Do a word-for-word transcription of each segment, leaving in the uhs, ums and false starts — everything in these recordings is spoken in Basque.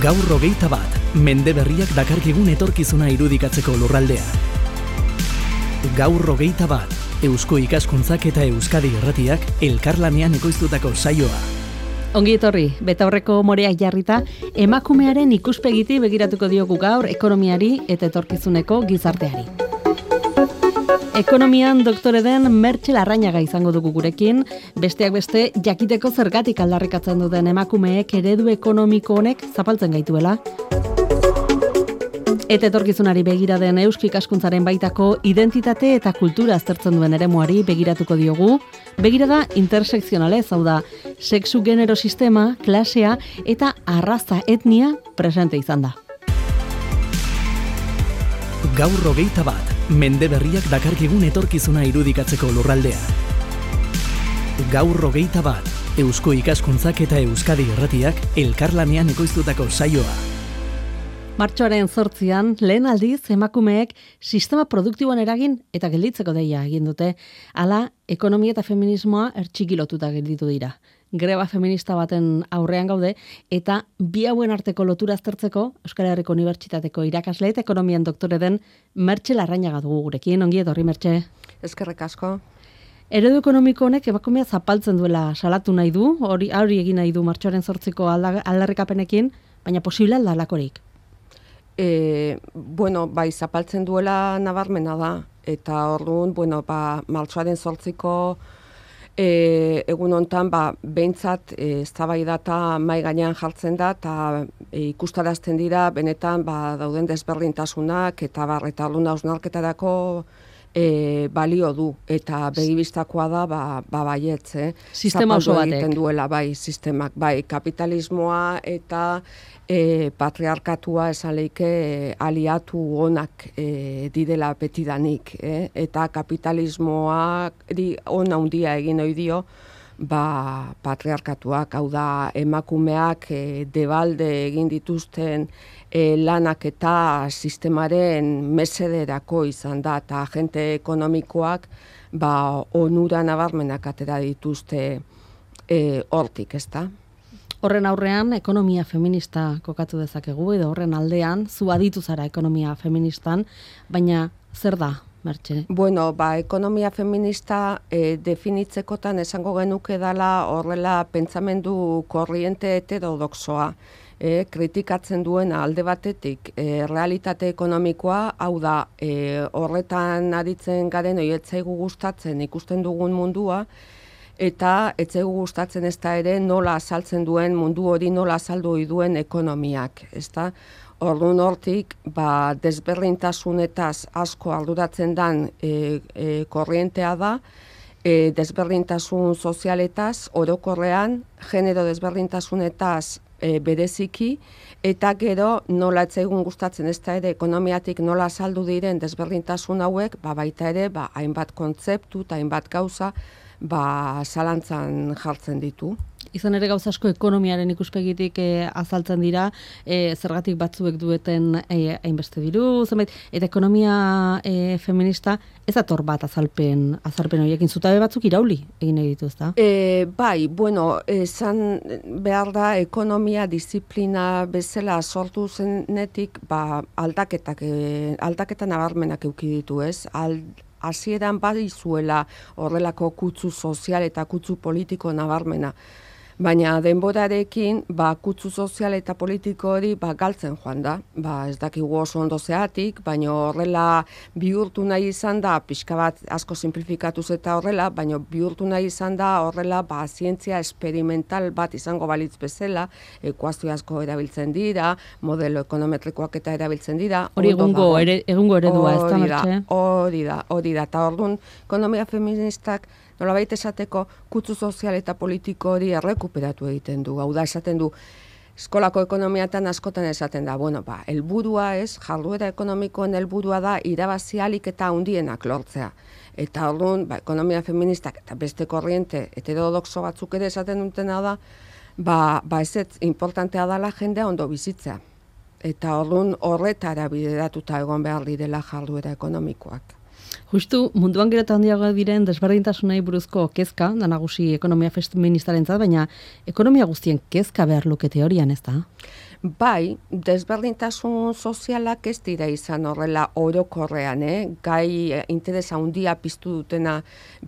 Gaur hogeita bat, mende berriak dakarkigun etorkizuna irudikatzeko lurraldea. Gaur hogeita bat, Eusko Ikaskuntzak eta Euskadi Irratiak elkarlanean ekoiztutako saioa. Ongi etorri, betaurreko moreak jarrita, emakumearen ikuspegiti begiratuko diogu gaur ekonomiari eta etorkizuneko gizarteari. Ekonomian doktore den Mertxe Larrañaga izango dugu gurekin, besteak beste jakiteko zergatik aldarrikatzen duten emakumeek eredu ekonomiko honek zapaltzen gaituela. Eta etorkizunari begira den Eusko Ikaskuntzaren baitako identitate eta kultura aztertzen duen eremuari begiratuko diogu, begirada intersekzionalez, hau da, sexu genero sistema, klasea eta arraza etnia presente izan da. Gaur hogeita bat, mende berriak dakarkigun etorkizuna irudikatzeko lurraldea. Gaur hogeita bat, Eusko Ikaskuntzak eta Euskadi Irratiak elkarlanean ekoiztutako saioa. Martxoaren zortzian, lehen aldiz emakumeek sistema produktiboan eragin eta gelditzeko deia egin dute, hala ekonomia eta feminismoa ertxikilotuta gelditu dira. Greba feminista baten aurrean gaude eta bi hauen arteko lotura aztertzeko Euskal Herriko Unibertsitateko irakasle eta ekonomian doktore den Mertxe Larrañaga dugu gurekin. Ongi etorri, Mertxe. Eskerrik asko. Eredu ekonomiko honek emakumea zapaltzen duela salatu nahi du, hori hori egin nahi du martxoaren zortziko aldarrikapenekin, baina posible alda lakorik. E, bueno, bai, zapaltzen duela nabarmena da, eta orduan, bueno, ba, martxoaren zortziko e, egun hontan, ba, behintzat e, eztabaidata mai gainean jartzen da, eta e, ikustarazten dira, benetan, ba, dauden desberdintasunak, eta bar, eta orduan hausnarketarako e, balio du, eta begibistakoa da, ba, ba baietz, eh? Sistema oso batek. Egiten duela, bai, sistemak, bai, kapitalismoa eta E, patriarkatua esan leike e, aliatu onak e, didela betidanik, eh? Eta kapitalismoa ona handia egin ohi dio, ba, patriarkatuak, hau da emakumeak e, debalde egin dituzten e, lanak eta sistemaren mesederako izan da, eta agente ekonomikoak ba, onura nabarmenak atera dituzte e, hortik, ezta? Horren aurrean, ekonomia feminista kokatu dezakegu, edo horren aldean, zu aditu zara ekonomia feministan, baina zer da, Mertxe? Bueno, ba, ekonomia feminista e, definitzekotan esango genuke dela horrela pentsamendu korriente heterodoxoa, e, kritikatzen duena alde batetik e, realitate ekonomikoa, hau da, e, horretan aritzen garen oietzaigu gustatzen ikusten dugun mundua, eta etzaigu gustatzen ez da ere nola azaltzen duen mundu hori nola azaldu duen ekonomiak, ezta? Orduan hortik, ba, desberdintasunetaz asko arduratzen dan e, e, korrientea da, e, desberdintasun sozialetaz, orokorrean, genero desberdintasunetaz e, bereziki, eta gero nola etzaigun gustatzen ez da ere ekonomiatik nola azaldu diren desberdintasun hauek, ba, baita ere, ba, hainbat kontzeptu eta hainbat gauza, ba, zalantzan jartzen ditu. Izan ere gauza asko ekonomiaren ikuspegitik e, azaltzen dira, e, zergatik batzuek dueten e, hainbeste diru, zenbait, eta ekonomia e, feminista ez ator bat azalpen, azalpen horiekin zutabe batzuk irauli egin ditu, ezta? E, bai, bueno, esan behar da ekonomia disiplina bezala sortu zenetik, ba, aldaketak, e, aldaketa nabarmenak eduki ditu, ez? Ald, hasieran badizuela horrelako kutsu sozial eta kutsu politiko nabarmena. Baina denborarekin, ba, kutsu sozial eta politiko hori ba, galtzen joan da. Ba, ez dakigu oso ondo zeatik, baina horrela bihurtu nahi izan da, pixka bat asko simplifikatuz eta horrela, baina bihurtu nahi izan da horrela ba, zientzia experimental bat izango balitz bezala, ekuazio asko erabiltzen dira, modelo ekonometrikoak eta erabiltzen dira. Hori egungo, ere, egungo eredua, ez da, Mertxe? Hori da, hori da, eta orduan ekonomia feministak nolabait esateko kutsu sozial eta politiko hori errekuperatu egiten du. Hau da, esaten du, eskolako ekonomiatan askotan esaten da, bueno, ba, helburua ez, jarduera ekonomikoen helburua da irabazi ahalik eta handienak lortzea. Eta orduan, ba, ekonomia feministak eta beste korriente heterodoxo batzuk ere esaten dutena da, ba, ba ez ez, importantea dela jendea ondo bizitzea. Eta orduan horretara bideratuta egon behar direla jarduera ekonomikoak. Justu munduan gero eta handiago diren desberdintasunei buruzko kezka, da nagusi ekonomia feministarentzat, baina ekonomia guztien kezka behar luke teorian, ez da? Bai, desberdintasun sozialak ez dira izan horrela orokorrean, eh? Gai interesa handia piztu dutena,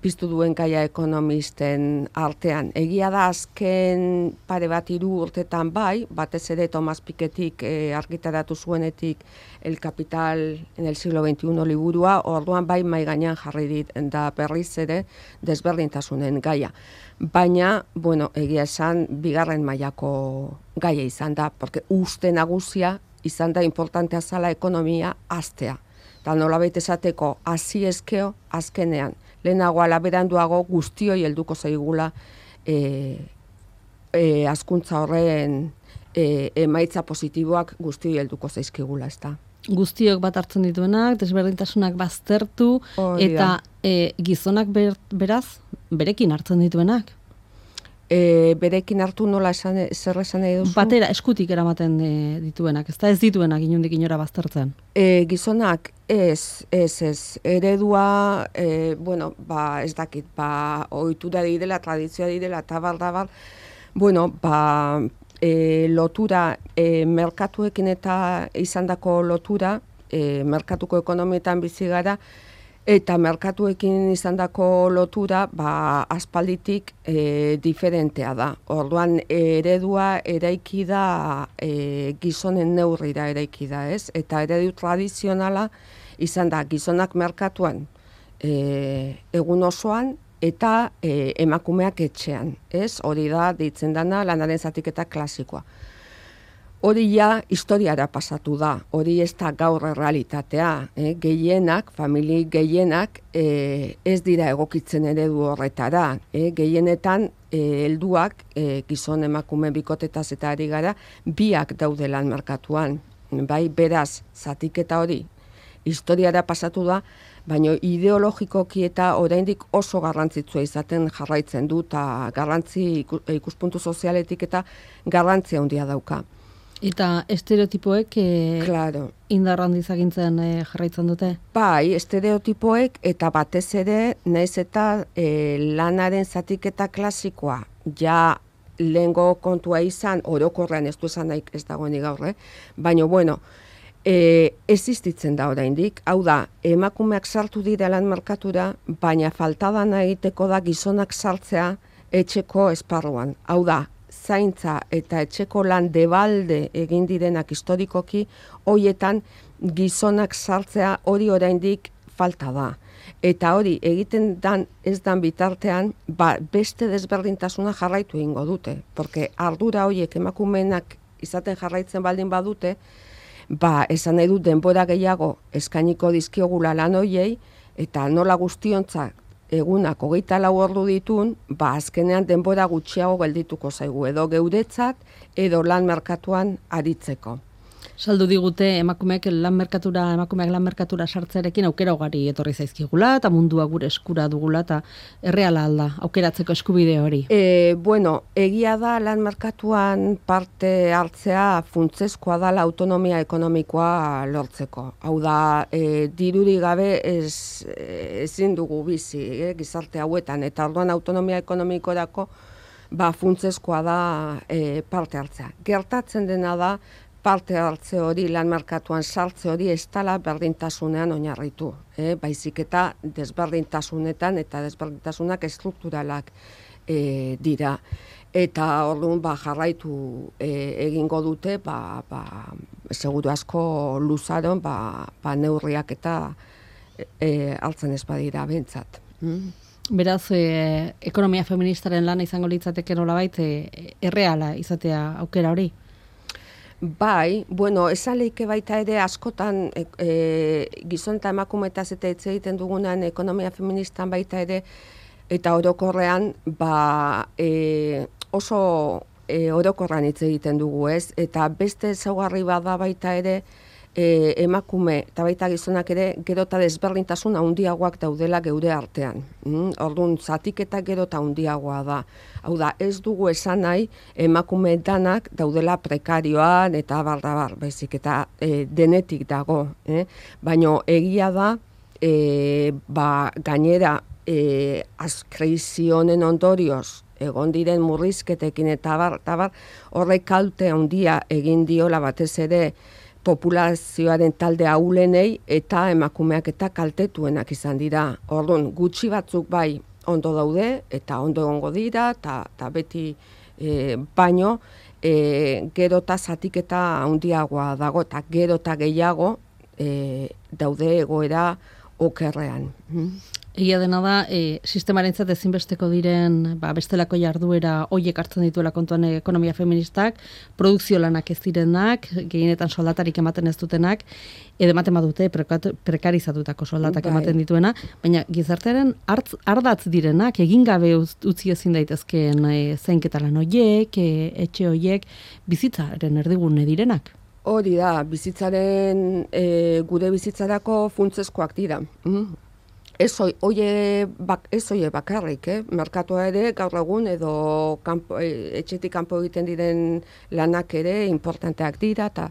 piztu duen gaia ekonomisten artean. Egia da azken pare bat hiru urtetan bai, batez ere Thomas Pikettyk eh, argitaratu zuenetik El Capital en el siglo veintiuno liburua, orduan bai mai gainean jarri dit da berriz ere desberdintasunen gaia. Baina, bueno, egia esan, bigarren mailako gaia izan da, porque uste nagusia izan da importantea zala ekonomia aztea. Eta nolabait esateko, hasi ezkeo azkenean. Lehenago alaberanduago guztioi helduko zaigula e, e, hazkuntza horren e, emaitza positiboak guztioi helduko zaizkigula, ez da. Guztiok bat hartzen dituenak, desberdintasunak baztertu, Oh, eta e, gizonak ber, beraz, berekin hartzen dituenak. E, berekin hartu nola esan, zer esan nahi duzu? Batera, eskutik eramaten e, dituenak, ez da ez dituenak inundik inora baztertzen. E, gizonak ez, ez, ez, eredua, e, bueno, ba, ez dakit, ba, ohitura direla, tradizioa direla, eta bar, da bar, bueno, ba, e, lotura, e, merkatuekin eta izandako lotura, e, merkatuko ekonomietan bizi gara, eta merkatuekin izandako lotura, ba, aspalditik e, diferentea da. Orduan, eredua eraiki da e, gizonen neurrira eraiki da, ez? Eta eredu tradizionala izan da gizonak merkatuan e, egun osoan, eta e, emakumeak etxean, ez? Hori da, deitzen dana, lanaren zatiketa klasikoa. Hori ja historiara pasatu da, hori ez da gaur errealitatea, eh? Gehienak, famili gehienak eh, ez dira egokitzen eredu horretara, eh? Gehienetan eh, helduak eh, gizon emakume bikotetaz eta ari gara, biak daude lan merkatuan, bai beraz, zatiketa hori historiara pasatu da, baina ideologikoki eta oraindik oso garrantzitsua izaten jarraitzen du, eta garrantzi ikuspuntu sozialetik eta garrantzia handia dauka. Eta estereotipoek e, Claro. indar handiz agintzen e, jarraitzen dute? Bai, estereotipoek eta batez ere, naiz eta e, lanaren zatiketa klasikoa, ja lehengo kontua izan, orokorrean ez du esan nahi ez dagoenik gaur, eh? Baina, bueno, e, existitzen da oraindik, hau da, emakumeak sartu dira lan merkatura, baina faltadan egiteko da gizonak sartzea etxeko esparruan, hau da, zaintza eta etxeko lan debalde egin direnak historikoki, hoietan gizonak sartzea hori oraindik falta da. Eta hori egiten dan ez dan bitartean, ba, beste desberdintasuna jarraitu egingo dute. Porque ardura horiek emakumeenak izaten jarraitzen baldin badute, ba, esan nahi dut denbora gehiago eskainiko dizkiogula lan horiei, eta nola guztiontzak egunak hogeita lau ordu ditun, ba azkenean denbora gutxiago geldituko zaigu, edo geuretzat, edo lan merkatuan aritzeko. Saldu digute emakumeak lan merkatura, emakumeak lan merkatura sartzearekin aukera ugari etorri zaizkigula, eta mundua gure eskura dugula, eta erreala alda, aukeratzeko eskubide hori. E, bueno, egia da lan merkatuan parte hartzea funtsezkoa dala autonomia ekonomikoa lortzeko. Hau da, e, diruri gabe ez, ezin dugu bizi, e, gizarte hauetan, eta orduan autonomia ekonomikorako ba, funtsezkoa da e, parte hartzea. Gertatzen dena da, parte hartze hori, lan merkatuan sartze hori ez dela berdintasunean oinarritu. Eh? Baizik eta desberdintasunetan eta desberdintasunak estrukturalak e, dira. Eta orduan ba, jarraitu e, egingo dute, ba, ba, seguru asko luzaron ba, ba, neurriak eta e, hartzen ez badira bentsat. Mm? Beraz, e, ekonomia feministaren lana izango litzateke nolabait e, erreala izatea aukera hori? Bai, bueno, esan leike baita ere askotan e, e, gizon eta emakumetaz eta hitz egiten dugunan ekonomia feministan baita ere, eta orokorrean ba, e, oso e, orokorran hitz egiten dugu, ez? Eta beste ezaugarri bada baita ere e, emakume eta baita gizonak ere gero eta desberdintasun handiagoak daudela geure artean. Mm? Orduan, zatiketa gero eta handiagoa da. Hau da, ez dugu esan nahi emakume danak daudela prekarioan eta bardabar, baizik eta e, denetik dago. Eh? Baina egia da, e, ba, gainera e, krisi honen ondorioz egon diren murrizketekin eta bar, eta bar, horrek kalte handia egin diola batez ere populazioaren talde ahulenei eta emakumeak eta kaltetuenak izan dira. Orduan, gutxi batzuk bai ondo daude eta ondo egongo dira eta, eta beti e, baino e, gero eta zatiketa handiagoa dago eta gero eta gehiago e, daude egoera okerrean. Egia dena da, e, sistemarentzat ezinbesteko diren ba, bestelako jarduera hoiek hartzen dituela kontuan ekonomia feministak, produkzio lanak ez direnak, gehienetan soldatarik ematen ez dutenak, edo ematen badute prekarizatutako soldatak bai. Ematen dituena, baina gizartearen artz, ardatz direnak, egin gabe utzi ezin daitezkeen e, zainketa lan hoiek, e, etxe hoiek, bizitzaren erdigune direnak. Hori da, bizitzaren, e, gure bizitzarako funtsezkoak dira. Mm. Ez oie bak, bakarrik, eh? Merkatua ere gaur egun edo kanpo, etxetik kanpo egiten diren lanak ere importanteak dira, ta,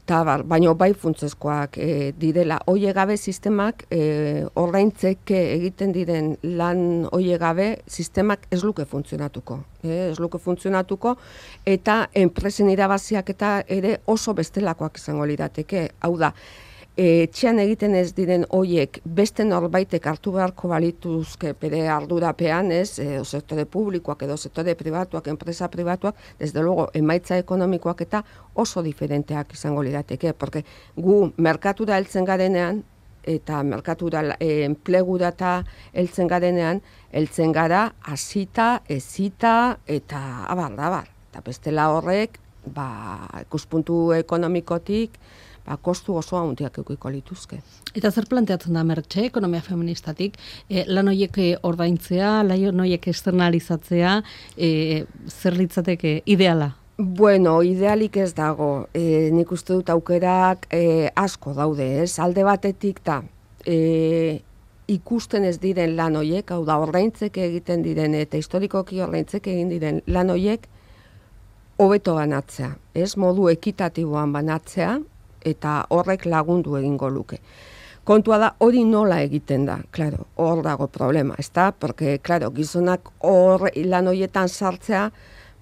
ta bar, baino bai funtsezkoak e, direla. Oie gabe sistemak, e, ordaintzeke egiten diren lan oie gabe, sistemak ez luke funtzionatuko. Eh? Ez luke funtzionatuko, eta enpresen irabaziak eta ere oso bestelakoak izango lirateke. Hau da, etxean egiten ez diren hoiek beste norbaitek hartu beharko balituzke bere ardurapean, ez, e, sektore publikoak edo sektore pribatuak, enpresa pribatuak, desde luego emaitza ekonomikoak eta oso diferenteak izango lirateke, porque gu merkatura heltzen garenean eta merkatura e, enplegura eta heltzen garenean, heltzen gara hasita, ezita eta abar, abar. Eta bestela horrek, ba, ikuspuntu ekonomikotik, ba, kostu oso handiak edukiko lituzke. Eta zer planteatzen da Mertxe, ekonomia feministatik, e, lan horiek ordaintzea, lan horiek externalizatzea, e, zer litzateke ideala? Bueno, idealik ez dago. E, nik uste dut aukerak e, asko daude, ez? Alde batetik da, e, ikusten ez diren lan horiek, hau da, ordaintzeke egiten diren eta historikoki ordaintzeke egin diren lan horiek hobeto banatzea, ez? Modu ekitatiboan banatzea, eta horrek lagundu egingo luke. Kontua da, hori nola egiten da, claro, hor dago problema, ezta? Porque, claro, gizonak hor lan horietan sartzea,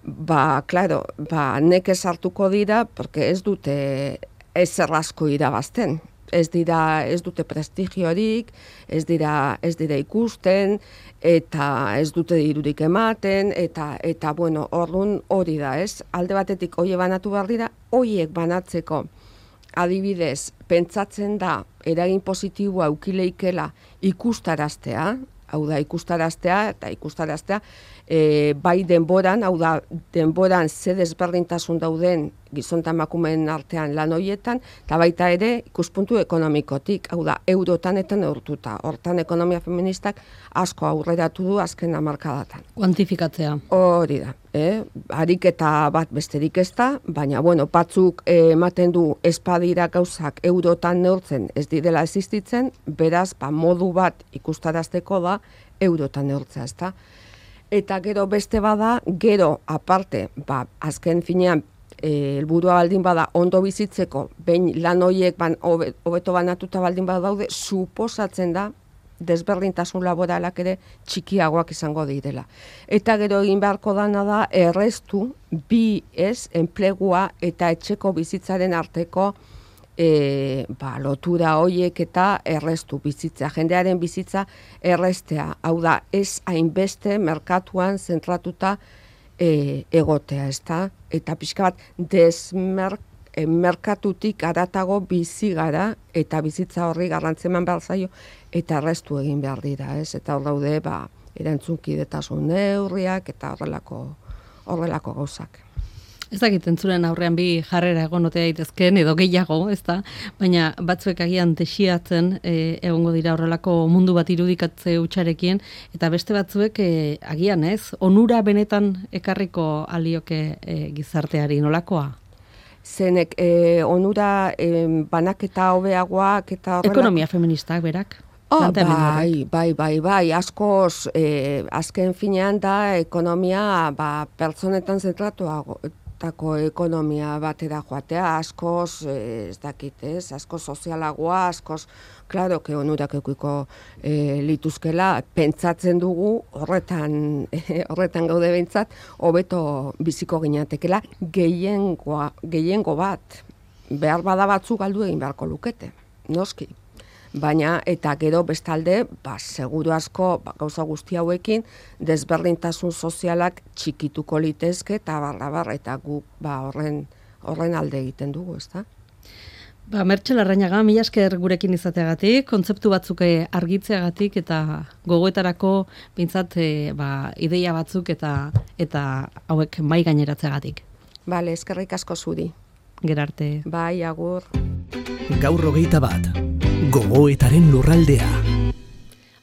ba, claro, ba, neke sartuko dira, porque ez dute ezer asko irabazten. Ez dira, ez dute prestigiorik, ez dira, ez dira ikusten, eta ez dute dirurik ematen, eta, eta bueno, orduan hori da, ez? Alde batetik hoie banatu behar dira, hoiek banatzeko, adibidez, pentsatzen da, eragin positiboa eukileikela ikustaraztea, hau da, ikustaraztea, eta ikustaraztea, e, bai denboran, hau da, denboran ze desberdintasun dauden gizon eta emakumeen artean lan horietan, eta baita ere ikuspuntu ekonomikotik, hau da, eurotan eta neurtuta. Hortan ekonomia feministak asko aurreratu du azken hamarkadatan. Kuantifikatzea. Hori da, eh? Ariketa bat besterik ez da, baina bueno, batzuk eh, ematen du espadira gauzak eurotan neurtzen ez direla existitzen, beraz, ba, modu bat ikustarazteko da eurotan neurtzea, ez da. Eta gero beste bada, gero aparte, ba, azken finean, helburua e, baldin bada ondo bizitzeko, behin lan horiek ban, hobeto banatuta baldin bada daude, suposatzen da desberdintasun laboralak ere txikiagoak izango direla. Eta gero egin beharko dana da errestu bi ez enplegua eta etxeko bizitzaren arteko e, ba, lotura horiek eta errestu bizitza, jendearen bizitza errestea. Hau da, ez hainbeste merkatuan zentratuta E, egotea, ez da? Eta pixka bat desmerkatutik aratago bizi gara eta bizitza horri garrantzeman behar zaio eta errestu egin behar dira, ez? Eta hor daude, ba, erantzunkidetasun neurriak eta horrelako, horrelako gauzak. Ez dakit entzuren aurrean bi jarrera egonotea daitezkeen edo gehiago, ez da? Baina batzuek agian desiatzen e, egongo dira horrelako mundu bat irudikatze hutsarekin, eta beste batzuek e, agian ez, onura benetan ekarriko alioke e, gizarteari nolakoa? Zenek, e, onura e, banaketa hobeagoak eta horrelako... Ekonomia feministak berak? Oh, bai, bai, bai, bai, askoz, eh, azken finean da ekonomia ba, pertsonetan zentratuago, tako ekonomia batera joatea, askoz, ez dakit, ez, askoz sozialagoa, askoz, klaro, que onurak eukiko e, lituzkela, pentsatzen dugu, horretan, e, horretan gaude behintzat, hobeto biziko ginatekela, gehiengoa, gehiengo bat, behar bada batzuk galdu egin beharko lukete, noski. Baina, eta gero bestalde, ba, seguru asko, ba, gauza guzti hauekin, desberdintasun sozialak txikituko litezke, eta barra barra, eta guk ba, horren, horren alde egiten dugu, ezta? Ba, Mertxe Larrañaga, mila esker gurekin izateagatik, kontzeptu batzuk argitzeagatik, eta gogoetarako bintzat ba, ideia batzuk eta eta hauek mai gaineratzeagatik. Bale, eskerrik asko zuri. Gerarte. Bai, agur. Gaur hogeita bat. Gogoetaren lurraldea.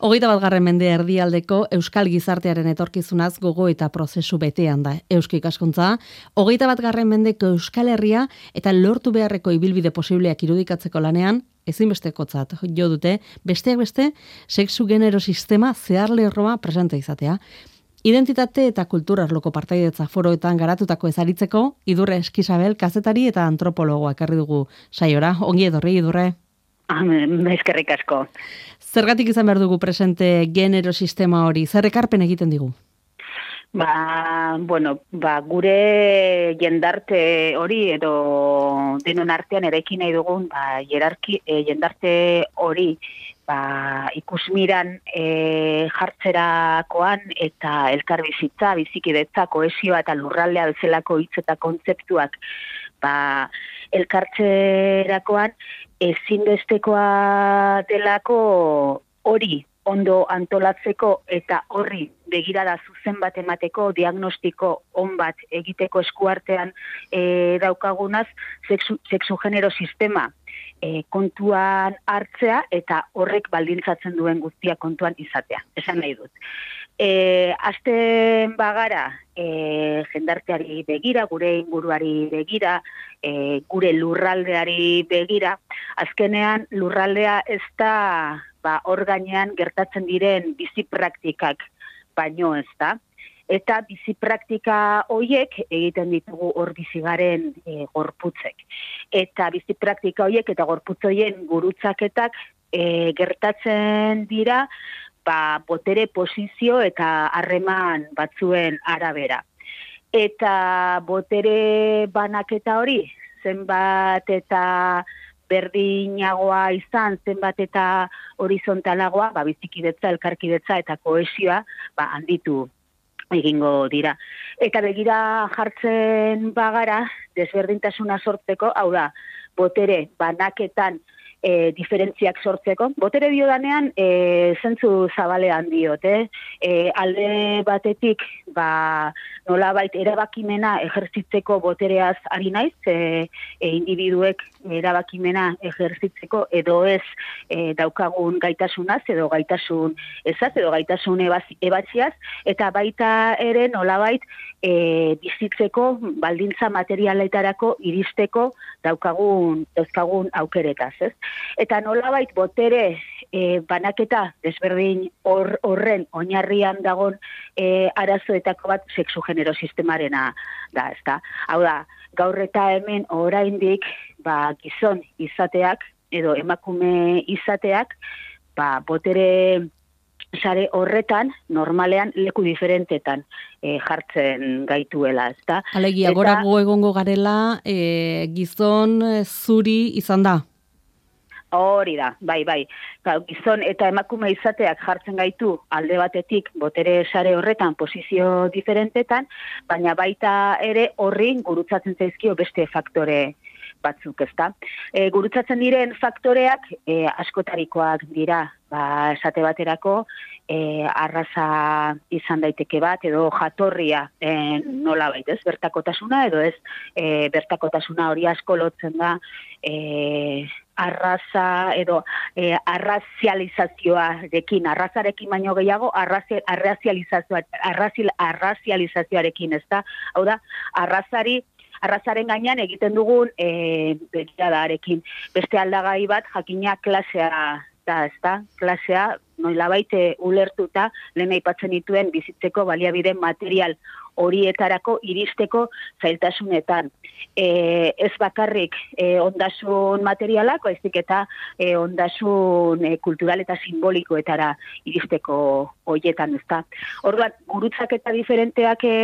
Hogeita bat garren mende erdialdeko euskal gizartearen etorkizunaz gogoeta prozesu betean da eusko ikaskuntza. Hogeita bat garren mendeko Euskal Herria eta lortu beharreko ibilbide posibleak irudikatzeko lanean, ezinbestekotzat jo dute, besteak beste, sexu genero sistema zeharlerroa presente izatea. Identitate eta kultura arloko partaidetza foroetan garatutako ezaritzeko, Idurre Eskizabel kazetari eta antropologoa ekarri dugu saiora. Ongi etorri, Idurre. Eskerrik asko. Zergatik izan behar dugu presente genero sistema hori? Zer ekarpen egiten digu? Ba, bueno, ba, gure jendarte hori edo denon artean eraiki nahi dugun ba, jerarki, e, jendarte hori ba, ikusmiran e, jartzerakoan eta elkarbizitza, bizikidetza, kohesioa eta lurraldea bezalako hitz eta kontzeptuak ba, elkartzerakoan ezinbestekoa delako hori ondo antolatzeko eta horri begirada zuzen bat emateko, diagnostiko on bat egiteko eskuartean e, daukagunaz, sexu, sexu genero sistema e, kontuan hartzea eta horrek baldintzatzen duen guztia kontuan izatea. Esan nahi dut. E, Azten bagara e, jendarteari begira, gure inguruari begira, e, gure lurraldeari begira, azkenean lurraldea ez da ba, hor gainean gertatzen diren bizi praktikak baino ez da. Eta bizi praktika horiek egiten ditugu hor bizigaren e, gorputzek. Eta bizi praktika horiek eta gorputz horien gurutzaketak e, gertatzen dira ba, botere posizio eta harreman batzuen arabera. Eta botere banaketa hori, zenbat eta berdinagoa izan, zenbat eta horizontalagoa, ba, bizikidetza, elkarkidetza eta kohesioa ba, handitu egingo dira. Eta begira jartzen bagara, desberdintasuna sortzeko, hau da, botere banaketan e, diferentziak sortzeko. Botere diodanean, e, zentzu zabalean diot, eh? E, alde batetik, ba, nolabait erabakimena ejerzitzeko botereaz ari naiz, e, e, individuek erabakimena ejerzitzeko edo ez e, daukagun gaitasunaz, edo gaitasun ezaz, edo gaitasun ebatziaz, eta baita ere nolabait e, bizitzeko baldintza materialetarako iristeko daukagun, dauzkagun aukeretaz, ez? Eta nolabait botere e, banaketa desberdin hor, horren oinarrian dagon e, arazoetako bat sexu genero sistemarena da, ezta? Hau da, gaur eta hemen oraindik ba, gizon izateak edo emakume izateak ba, botere sare horretan normalean leku diferentetan e, jartzen gaituela, ezta? Alegia, eta gorago egongo garela e, gizon zuri izan da? Hori da, bai, bai. Gizon eta emakume izateak jartzen gaitu alde batetik botere sare horretan posizio diferentetan, baina baita ere horri gurutzatzen zaizkio beste faktore batzuk, ezta. E, gurutzatzen diren faktoreak e, askotarikoak dira, ba, esate baterako, e, arraza izan daiteke bat, edo jatorria e, nola baita, ez, bertakotasuna, edo ez, e, bertakotasuna hori asko lotzen da, e, arraza edo e, arrazializazioarekin, arrazarekin baino gehiago, arrazializazioa, arrazializazioarekin, ez da, hau da, arrazari, arrazaren gainean egiten dugun e, begiradarekin. Beste aldagai bat, jakina klasea da, ez da, klasea, noilabait ulertuta, lehen aipatzen dituen bizitzeko baliabide material horietarako iristeko zailtasunetan. E, ez bakarrik e, ondasun materialak, baizik eta e, ondasun e, kultural eta simbolikoetara iristeko hoietan, ezta. Orduan, gurutzaketa diferenteak e,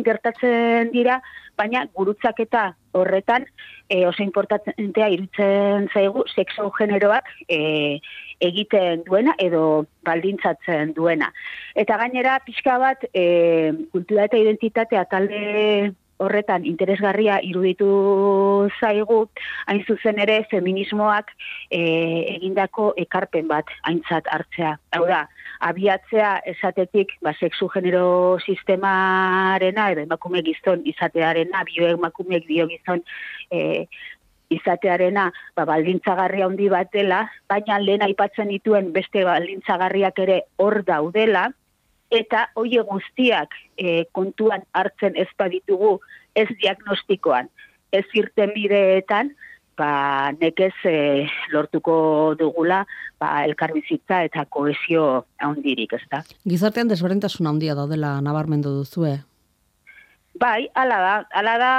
gertatzen dira, baina gurutzaketa horretan e, oso importantea irutzen zaigu sexo generoak e, egiten duena edo baldintzatzen duena. Eta gainera pixka bat e, kultura eta identitatea talde horretan interesgarria iruditu zaigu, hain zuzen ere feminismoak e, egindako ekarpen bat aintzat hartzea. Hau da, abiatzea esatetik ba, sexu genero sistemarena edo emakume gizon izatearena, bioemakumeek bio gizon e, izatearena ba, baldintzagarria handi bat dela, baina lehen aipatzen dituen beste baldintzagarriak ere hor daudela, eta hoe guztiak e, kontuan hartzen ez baditugu ez diagnostikoan, ez irtenbideetan, ba, nekez e, lortuko dugula ba, elkarbizitza eta kohesio handirik, ezta? Gizartean desberdintasun handia daudela nabarmendu duzue. Bai, hala da, hala da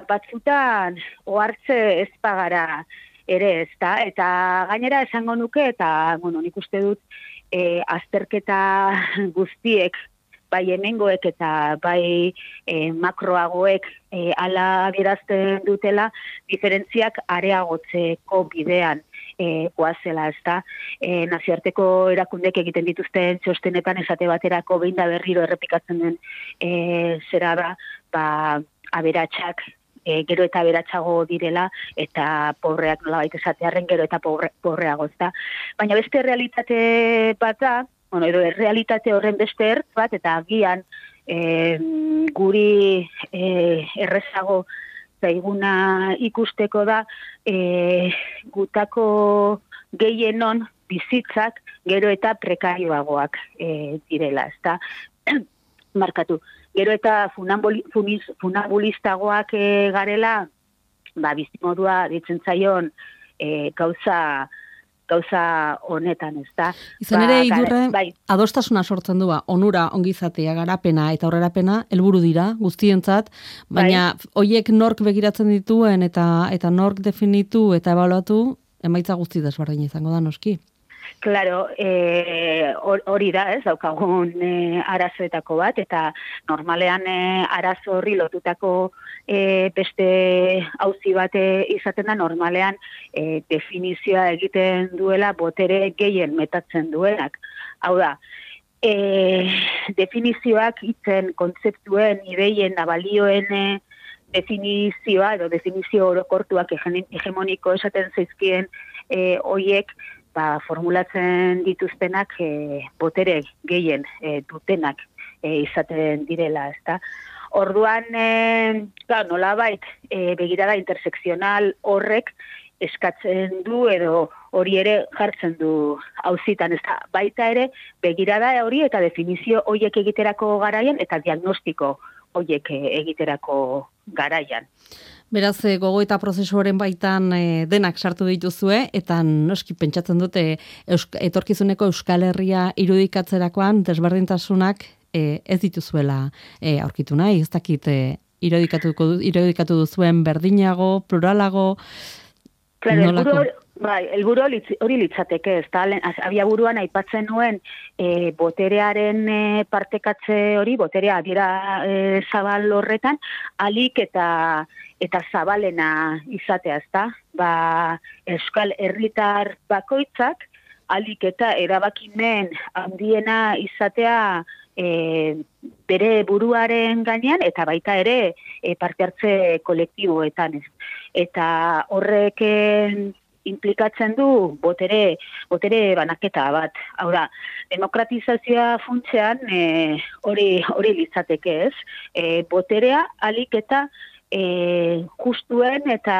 batzutan ohartze ez pagara ere, ezta? Eta gainera esango nuke, eta bueno, nik uste dut e, azterketa guztiek, bai hemengoek eta bai e, makroagoek e, ala adierazten dutela, diferentziak areagotzeko bidean e, goazela, ezta? E, nazioarteko erakundek egiten dituzten txostenetan esate baterako behin da berriro errepikatzen den e, zera da, ba, aberatsak E, gero eta beratxago direla, eta pobreak nolabait esatearren gero eta pobre, pobreago, ezta. Baina beste realitate bat da, bueno, edo realitate horren beste ertz bat, eta agian e, guri e, errezago zaiguna ikusteko da, e, gutako gehienon bizitzak gero eta prekarioagoak e, direla, ezta. Markatu. Gero eta funambulistagoak e, garela, ba, bizimodua ditzen zaion e, gauza, gauza honetan, ez da. Izan ere, ba, idurre, bai. adostasuna sortzen du, onura, ongizatea, garapena eta aurrerapena helburu dira guztientzat, baina bai. Hoiek nork begiratzen dituen eta eta nork definitu eta ebaluatu, emaitza guzti desberdina izango da noski. Claro, eh, hori da, ez, daukagun eh, arazoetako bat, eta normalean eh, arazo horri lotutako eh, beste auzi bat izaten da, normalean eh, definizioa egiten duela botere gehien metatzen duenak. Hau da, eh, definizioak hitzen, kontzeptuen, ideien, abalioen eh, definizioa, edo definizio orokortuak hegemoniko esaten zaizkien eh, oiek, ba, formulatzen dituztenak e, botere gehien e, dutenak e, izaten direla, ezta. Orduan, e, claro, nolabait e, begirada intersekzional horrek eskatzen du edo hori ere jartzen du auzitan, ezta. Baita ere begirada hori eta definizio horiek egiterako garaian eta diagnostiko horiek egiterako garaian. Beraz, gogo eta prozesuaren baitan e, denak sartu dituzue, eta noski pentsatzen dute eusk, etorkizuneko Euskal Herria irudikatzerakoan desberdintasunak e, ez dituzuela e, aurkitu nahi, ez dakit e, irudikatuko, irudikatu duzuen berdinago, pluralago, claro, nolako? Bai, helburu hori litzateke, ez da, abia buruan aipatzen nuen e, boterearen e, partekatze hori, boterea adiera e, zabal horretan, alik eta eta zabalena izatea, ez da, ba, Euskal Herritar bakoitzak, alik eta erabakimen handiena izatea e, bere buruaren gainean, eta baita ere e, parte hartze kolektiboetan, ez. Eta horreken implikatzen du botere, botere banaketa bat. Hau da, demokratizazioa funtsean e, hori hori litzateke, ez? E, boterea alik eta e, justuen eta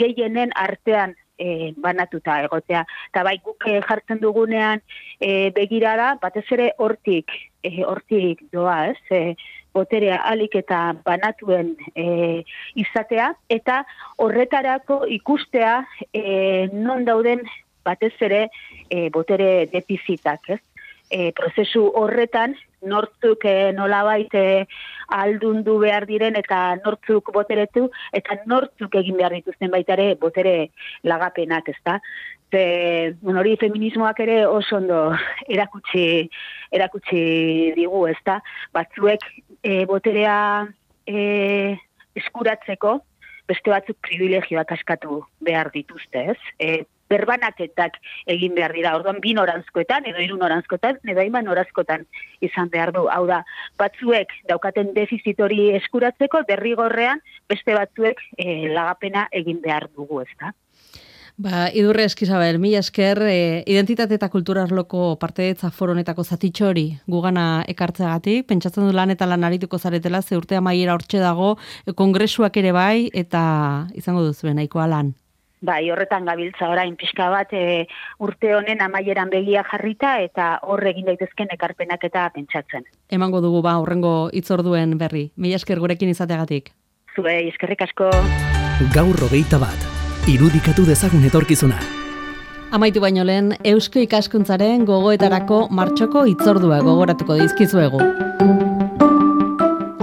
gehienen artean e, banatuta egotea. Eta bai guk jartzen dugunean e, begirada, batez ere hortik, e, hortik doa, ez? E, boterea alik eta banatuen e, izatea, eta horretarako ikustea e, non dauden batez ere e, botere defizitak, ez? E, prozesu horretan nortzuk e, nolabait e, aldundu behar diren eta nortzuk boteretu eta nortzuk egin behar dituzten baita ere botere lagapenak, ezta? Ze, bueno, hori feminismoak ere oso ondo erakutsi, erakutsi digu, ezta? Batzuek e, boterea e, eskuratzeko beste batzuk privilegioak askatu behar dituzte, ez? E, berbanaketak egin behar dira, orduan bi noranzkoetan, edo hiru noranzkoetan, edo hainbat noranzkoetan izan behar du. Hau da, batzuek daukaten defizit hori eskuratzeko, derrigorrean beste batzuek e, lagapena egin behar dugu, ezta? Ba, Idurre Eskizabel, mila esker, e, identitate eta kultura arloko partaidetza foro honetako zatitxo hori gugana ekartzeagatik, pentsatzen du lan eta lan arituko zaretela, ze urte amaiera hortxe dago, e, kongresuak ere bai, eta izango duzu nahikoa lan. Bai, horretan gabiltza orain pixka bat e, urte honen amaieran begia jarrita eta hor egin daitezken ekarpenak eta pentsatzen. Emango dugu ba horrengo hitzorduen berri. Mila esker gurekin izateagatik. Zuei, eskerrik asko. Gaur hogeita bat, irudikatu dezagun etorkizuna. Amaitu baino lehen, Eusko Ikaskuntzaren gogoetarako martxoko hitzordua gogoratuko dizkizuegu.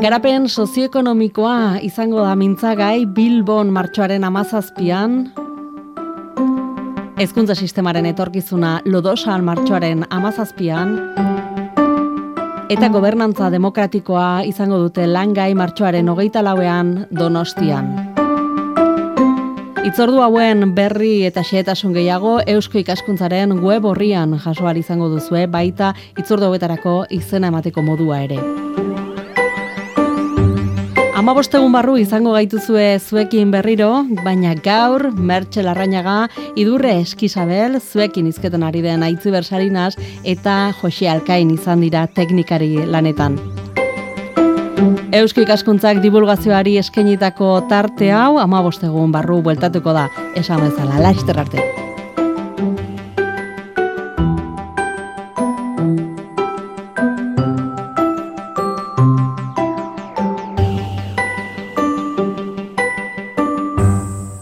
Garapen sozioekonomikoa izango da mintzagai Bilbon martxoaren hamazazpian, hezkuntza sistemaren etorkizuna Lodosan martxoaren hamazazpian, eta gobernantza demokratikoa izango dute langai martxoaren hogeita lauean Donostian. Hitzordu hauen berri eta xehetasun gehiago Eusko Ikaskuntzaren web orrian jaso ahal izango duzue, baita hitzordu hauetarako izena emateko modua ere. Hamabost egun barru izango gaituzue zuekin berriro, baina gaur Mertxe Larrañaga, Idurre Eskizabel, zuekin hizketan ari den Aitziber Sarinas eta Jose Alkain izan dira teknikari lanetan. Eusko Ikaskuntzak divulgazioari eskainitako tarte hau hamabost egun barru bueltatuko da, esan bezala, laster arte.